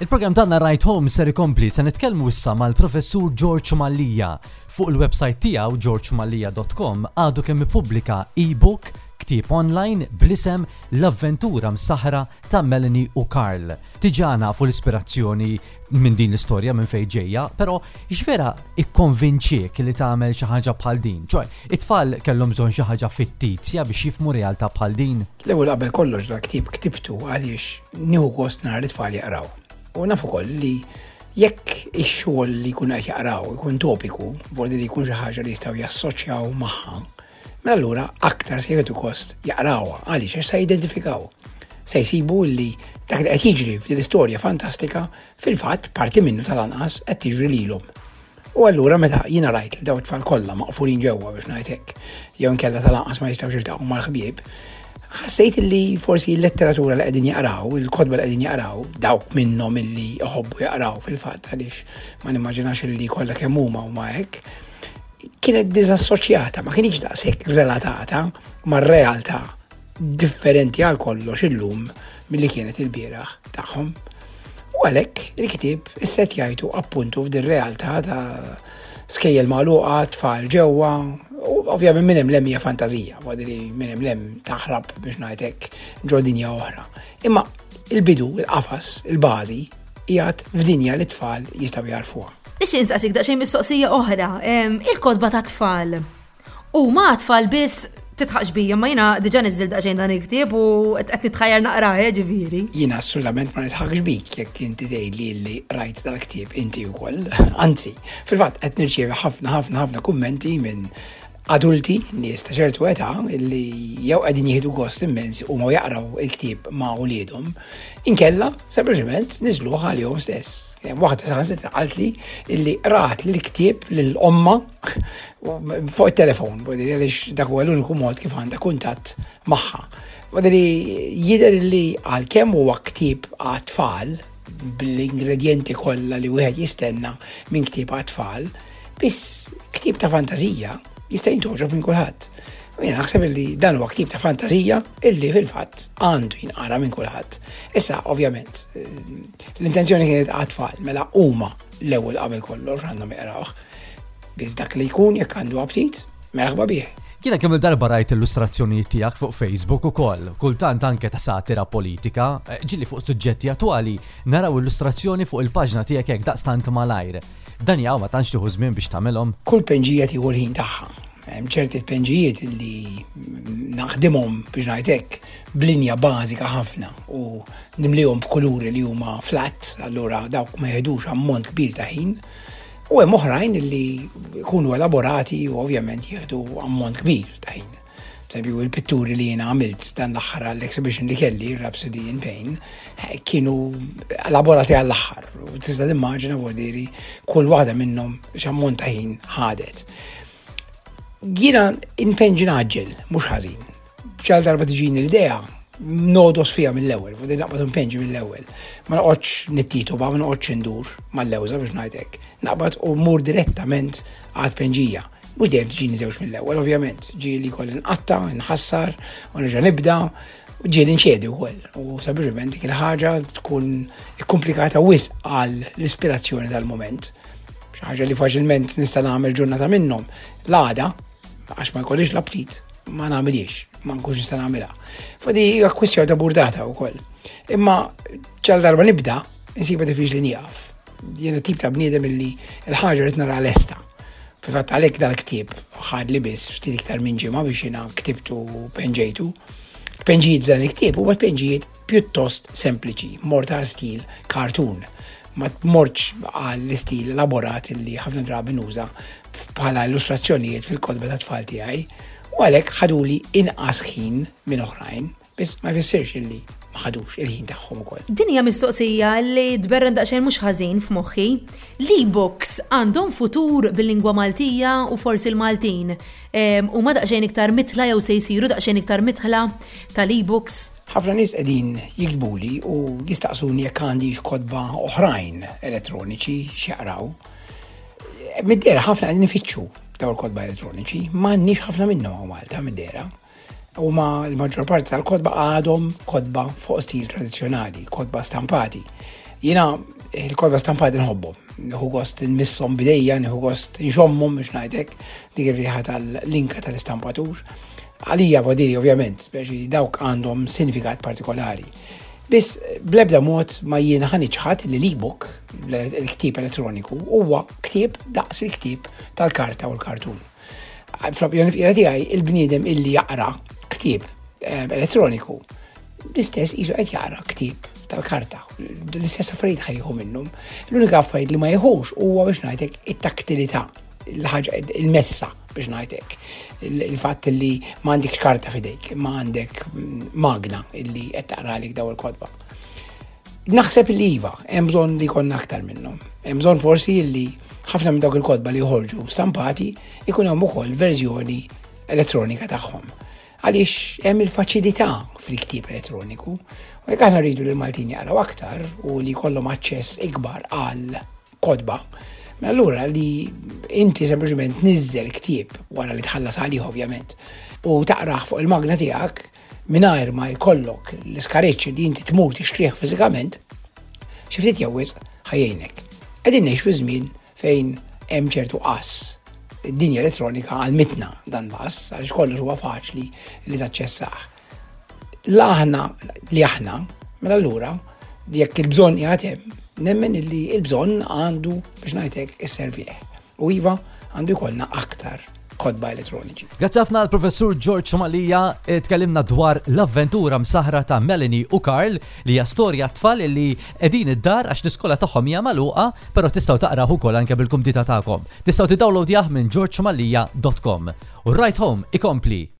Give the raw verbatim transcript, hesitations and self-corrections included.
Il-programm tagħna Right Home ser ikompli. Se nitkellmu issa mal-Professur George Mallia. Fuq il-website tiegħu georgemallia punt com għadu kemm ippubblika e-book, ktieb online bl-isem "L-Avventura Msaħra ta' Melanie u Carl". Diġà nafu l-ispirazzjoni minn din l-istorja minn fejn ġejja, però x'vera ikkonvinċiek li tagħmel xi ħaġa bħal din? Ċoj, it-tfal kellhom bżonn xi ħaġa fittizja biex jifhmu realtà bħal din? L-ewwel qabel kollox, dal-ktieb ktibtu għaliex nieħu gost nara l-tfal jaqraw. U naf ukoll li jekk ix-xogħol li jkunu qed jaqraw ikun topiku, bordi li jkun xi ħaġa li jistgħu jassoċjaw magħha, mela allura aktar se jieħdu gost jaqrawha. Għaliex? Għax se jidentifikaw. Se jsibu li dak li qed jiġri f'din l-istorja fantastika, fil-fatt parti minnu tal-anqas qed tiġri lilhom. U allura meta jiena rajt li daw it-tfal kollha maqfulin ġewwa, biex ngħid hekk, jew inkella tal-anqas ma jistgħux jiltaqgħu mal-ħbieb, ħassejt li forsi l-letteratura li qegħdin jaqraw, il-kotba li qegħdin jaqraw, dawk minnhom illi jħobbu jaqraw fil-fatt, għaliex ma nimmaġinax li kollha kemm huma huma hekk, kienet diżassoċjata, ma kienx daqshekk relatata mar-realtà differenti għal kollox illum milli kienet il-bieraħ tagħhom. U għalhekk il-ktieb issettjajtu appuntu f'din realtà ta' skejjel magħluqa, tfal ġewwa, u ovvjament minn hemm 'l hemm hija fantażija, li minn hemm 'l hemm taħrab, biex ngħidlek, ġo dinja oħra. Imma il-bidu, il-qafas, il-bażi qiegħed f'dinja li tfal jistgħu jarfuha. Nixtieq insaqsik daqsxejn mistoqsija oħra. Il-kotba ta' tfal. U ma tfal biss, titħaqx bija, ma jiena diġà niżżilt daqsxejn dan il-ktieb u qed nitħajjar naqra, eh, ġifieri. Jiena assolutament ma nitħaqx bik jekk inti tgħidli li rajt dal-ktieb inti wkoll. Anzi, fil-fatt qed nirċievi ħafna, ħafna, ħafna kummenti minn adulti, nies ta' ċertu età, illi jew qegħdin jieħdu gost immens u ma jaqraw il-ktieb ma' uliedhom, inkella sempliċement niżluh għalihom stess. Waħda saħansitra qaltli illi rat li l-ktieb lil omma fuq it-telefon, għaliex dak huwa l-uniku mod kif għandha kuntatt magħha. Wadri jidher li għalkemm huwa ktieb għat-tfal bl-ingredienti kollha li wieħed jistenna minn ktieb għat-tfal, biss ktieb ta' fantażija jista' jintgħoġob minn kulħadd. U jiena naħseb li dan huwa ktieb ta' fantażija illi fil-fatt għandu jinqara minn kulħadd. Issa, ovvjament, l-intenzjoni kienet għat-tfal, mela huma l-ewwel qabel kollox għandhom jaqrawh. Biss dak li jkun, jekk għandu aptit, merħba bih. Jiena kemm il-darba rajt illustrazzjonijiet tiegħek fuq Facebook ukoll, kultant anke ta' satira politika, ġieli fuq suġġetti attwali, naraw illustrazzjoni fuq il-paġna tiegħek hekk daqstant malajr. Dan jaw ma tantx tieħu żmien biex tagħmelhom? Kull penġija tieħu l-ħin tagħha. Hemm ċerti tpenġijiet li naħdimhom, biex ngħidlek, b'linja bażika ħafna u nimlihom b'kuluri li huma flat, allura dawk ma jeħdux ammont kbir ta' ħin. U hemm oħrajn li jkunu elaborati u ovvjament jieħdu ammont kbir ta' ħin. Eżempju, il-pitturi li jiena għamilt dan l-aħħar għall-exhibition li kelli, Rhapsody in Pain, kienu elaborati għall-aħħar. U tista' timmaġina, vuol kull waħda minnhom x'ammont ta' ħin ħadet. Jiena inpenġi naġġel, mhux ħażin. Ġal darba tiġini l-idea, nodos fija mill-ewwel, fuq naqbad npenġi mill-ewwel. Ma noqgħodx nittitu ba, ma noqgħodx indur mal-lewża, biex ngħidlek. Naqbad u mur direttament għal penġija. Mhux dejjem tiġini żewġ mill-ewwel, ovvjament. Ġieli kolli nqatta, nħassar, u nerġa' nibda, u ġieli nċedi wkoll. U sempliċement dik il-ħaġa tkun ikkomplikata wisq għal l-ispirazzjoni tal-moment. Xi ħaġa li faċilment nista' nagħmel ġurnata minnhom. L-għada, għax ma jkollix l-aptit, ma nagħmilix, ma nkunx nista' nagħmilha. Fadi hija kwistjoni ta' burdata wkoll. Imma ġal darba nibda, insiba diffiċli nieqaf. Jiena tip ta' bniedem illi l-ħaġa rrid nara lesta. Fil-fatt għalhekk dal-ktieb ħad li biss ftit iktar minn ġimgħa biex jiena ktibtu u penġejtu. Penġijiet dan il-ktieb huwa penġijiet pjuttost sempliċi, mort għal stil cartoon. Ma mortx għall istil elaborat li ħafna drabi nuża bħala illustrazzjonijiet fil-kotba ta' tfal tiegħi u għalhekk ħaduli inqas ħin minn oħrajn, biss ma jfissirx illi ma ħadux il-ħin tagħhom ukoll. Din hija mistoqsija li tberren daqsxejn mhux ħażin f'moħħi. L-e-books għandhom futur bil-lingwa Maltija u forsi l-Maltin huma daqsxejn iktar mitla jew se jsiru daqsxejn iktar mitla tal-e-books? Ħafna nies qegħdin jiktbuli u jistaqsuni jekk għandix kotba oħrajn elettroniċi x'jaqraw. Mid-dehra ħafna qegħdin ifittxu dawn il-kotba elettroniċi, m'għandniex ħafna minnhom hawn Malta mid-dehra. U ma l-maġġor parti tal-kotba għadhom kotba fuq stil tradizzjonali, kotba stampati. Jiena il-kotba stampati nħobbhom, nieħu gost nmisshom b'idejja, nieħu gost nxommhom biex ngħidlek dik ir-riħa tal-linka tal-istampatur. Għalija vodiri ovvjament, speċi dawk għandhom sinifikat partikolari. Biss bl-ebda mod ma jiena ħa niċħad li l-ebook, il-ktieb elettroniku, huwa ktieb daqs il-ktieb tal-karta u l-kartun. Fl-opinjoni fqira tiegħi, il-bniedem illi jaqra ktieb eh, elettroniku, l-istess qisu qed jaqra ktieb tal-karta. L-istess affarijiet ħa jieħu minnhom. L-unika affarijiet li ma jieħux huwa biex ngħidlek it-taktilità, il-ħaġa, il-messa biex ngħidlek. Il-fatt li ma għandekx karta f'idejk, ma għandek magna illi qed taqralik daw il-kotba. Naħseb li iva, hemm bżonn li jkollna aktar minnhom. Hemm bżonn forsi li ħafna minn dawk il-kotba li joħorġu stampati ikun hemm ukoll verżjoni elettronika tagħhom. Għaliex hemm il-faċilità fil-ktieb elettroniku. U jekk aħna rridu li l-Maltin jaqraw aktar u li jkollhom aċċess ikbar għal kotba, mela allura li inti sempliċement tniżżel ktieb wara li tħallas għalih ovvjament u taqrah fuq il-magna tiegħek mingħajr ma jkollok l-iskariċ li inti tmur tixtrih fiżikament, xi ftit jew wisq ħa jgħinek. Qegħdin ngħix fi żmien fejn hemm ċertu qass. Id-dinja elettronika għallmitna dan l-qass għaliex kollox huwa faċli li taċċessah. La aħna li aħna, mela allura jekk il-bżonn qiegħed hemm, nemmen illi il-bżonn għandu biex ngħidlek isservih. U iva għandu jkollna aktar kotba elettroniċi. Grazzi ħafna l-Professur George Mallia, tkellimna dwar l-avventura msaħra ta' Melanie u Karl li hija storja tfal li qegħdin id-dar għax l-iskola tagħhom hija magħluqa, però tistgħu taqraw ukoll anke bil-kumdità tagħkom. Tistgħu tiddownloadjah minn georgemallia dot com. U Ride Home ikompli.